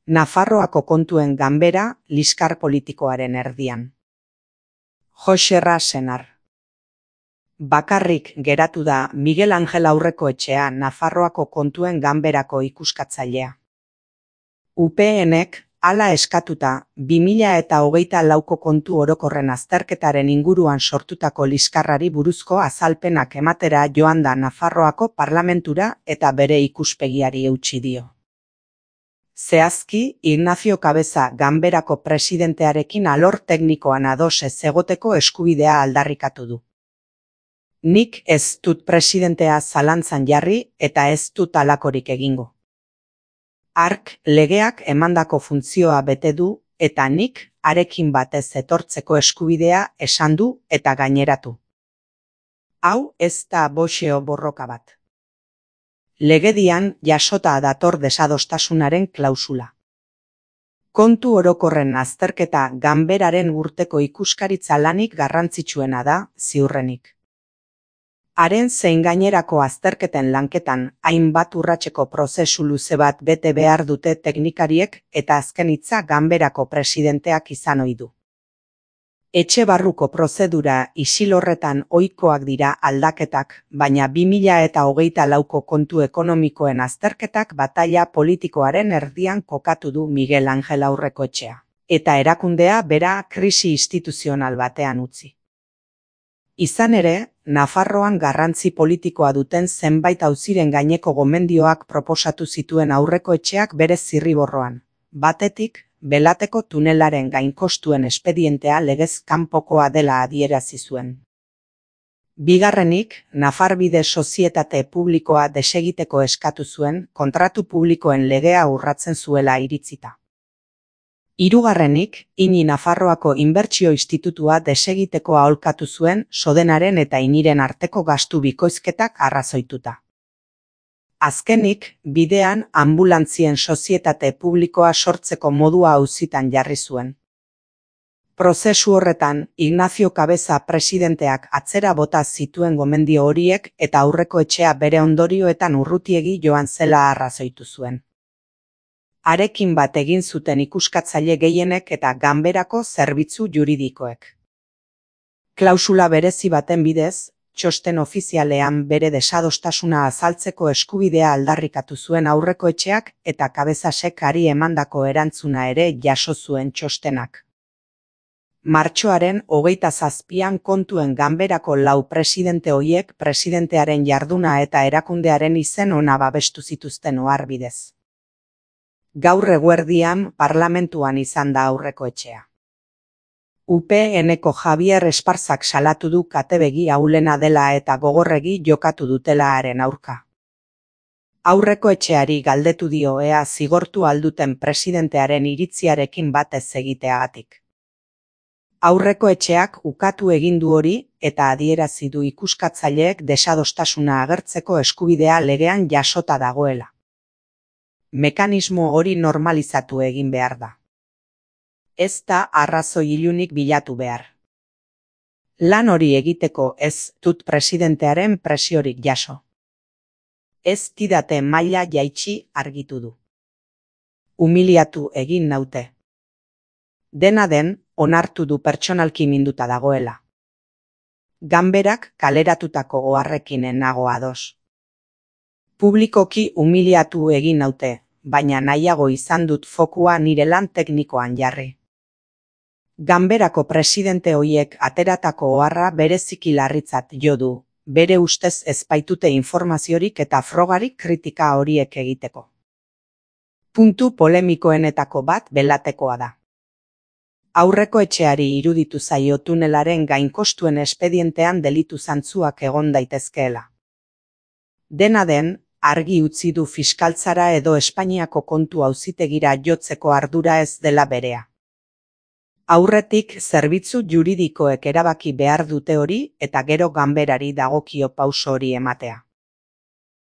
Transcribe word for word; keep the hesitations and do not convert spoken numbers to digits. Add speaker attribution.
Speaker 1: Nafarroako kontuen ganbera liskar politikoaren erdian. Joxerra Senar. Bakarrik geratu da Miguel Angel Aurrekoetxea Nafarroako kontuen ganberako ikuskatzailea. U PNek hala eskatuta bi mila eta hogeita lauko kontu orokorren azterketaren inguruan sortutako liskarrari buruzko azalpenak ematera joan da Nafarroako parlamentura eta bere ikuspegiari eutsi dio. Zehazki, Ignacio Cabeza ganberako presidentearekin alor teknikoan ados ez egoteko eskubidea aldarrikatu du. Nik ez dut presidentea zalantzan jarri eta ez dut halakorik egingo. Hark legeak emandako funtzioa bete du eta nik harekin batez etortzeko eskubidea esan du eta gaineratu. Hau ez da boxeo borroka bat. Legedian jasota dator desadostasunaren klausula. Kontu orokorren azterketa ganberaren urteko ikuskaritza lanik garrantzitsuena da, ziurrenik. Haren zein gainerako azterketen lanketan hainbat urratseko prozesu luze bat bete behar dute teknikariek eta azken hitza ganberako presidenteak izan ohi du. Etxe barruko prozedura isil horretan ohikoak dira aldaketak, baina bi mila eta hogeita lauko kontu ekonomikoen azterketak bataila politikoaren erdian kokatu du Miguel Angel Aurrekoetxea, eta erakundea bera krisi instituzional batean utzi. Izan ere, Nafarroan garrantzi politikoa duten zenbait auziren gaineko gomendioak proposatu zituen Aurrekoetxeak bere zirriborroan. Batetik, Belateko tunelaren gainkostuen espedientea legez kanpokoa dela adierazi zuen. Bigarrenik, Nafarbide sozietate publikoa desegiteko eskatu zuen kontratu publikoen legea urratzen zuela iritzita. Hirugarrenik, Ini Nafarroako Inbertsio Institutua desegiteko aholkatu zuen Sodenaren eta Iniren arteko gastu bikoizketak arrazoituta. Azkenik, bidean anbulantzien sozietate publikoa sortzeko modua auzitan jarri zuen. Prozesu horretan, Ignacio Cabeza presidenteak atzera bota zituen gomendio horiek eta Aurrekoetxea bere ondorioetan urrutiegi joan zela arrazoitu zuen. Harekin bat egin zuten ikuskatzaile gehienek eta ganberako zerbitzu juridikoek. Klausula berezi baten bidez, txosten ofizialean bere desadostasuna azaltzeko eskubidea aldarrikatu zuen Aurrekoetxeak eta Cabezasek hari emandako erantzuna ere jaso zuen txostenak. Martxoaren hogeita zazpian kontuen ganberako lau presidente hoiek presidentearen jarduna eta erakundearen izen ona babestu zituzten oharbidez. Gaur eguerdian parlamentuan izan da Aurrekoetxea. U P Nko Javier Esparzak salatu du katebegi ahulena dela eta gogorregi jokatu dutela haren aurka. Aurrekoetxeari galdetu dio ea zigortu alduten presidentearen iritziarekin bat ez egiteagatik. Aurrekoetxeak ukatu egin du hori eta adierazi du ikuskatzaileek desadostasuna agertzeko eskubidea legean jasota dagoela. Mekanismo hori normalizatu egin behar da. Ez da arrazoi ilunik bilatu behar. Lan hori egiteko ez dut presidentearen presiorik jaso. Ez didate maila jaitsi argitu du. Humiliatu egin naute. Dena den, onartu du pertsonalki minduta dagoela. Ganberak kaleratutako oharrekin nago ados. Publikoki humiliatu egin naute, baina nahiago izan dut fokua nire lan teknikoan jarri. Ganberako presidente hoiek ateratako oharra bereziki larritzat jo du, bere ustez ez baitute informaziorik eta frogarik kritika horiek egiteko. Puntu polemikoenetako bat Belatekoa da. Aurrekoetxeari iruditu zaio tunelaren gainkostuen espedientean delitu zantzuak egon daitezkeela. Dena den, argi utzi du fiskaltzara edo Espainiako kontu auzitegira jotzeko ardura ez dela berea. Aurretik zerbitzu juridikoek erabaki behar dute hori eta gero ganberari dagokio pauso hori ematea.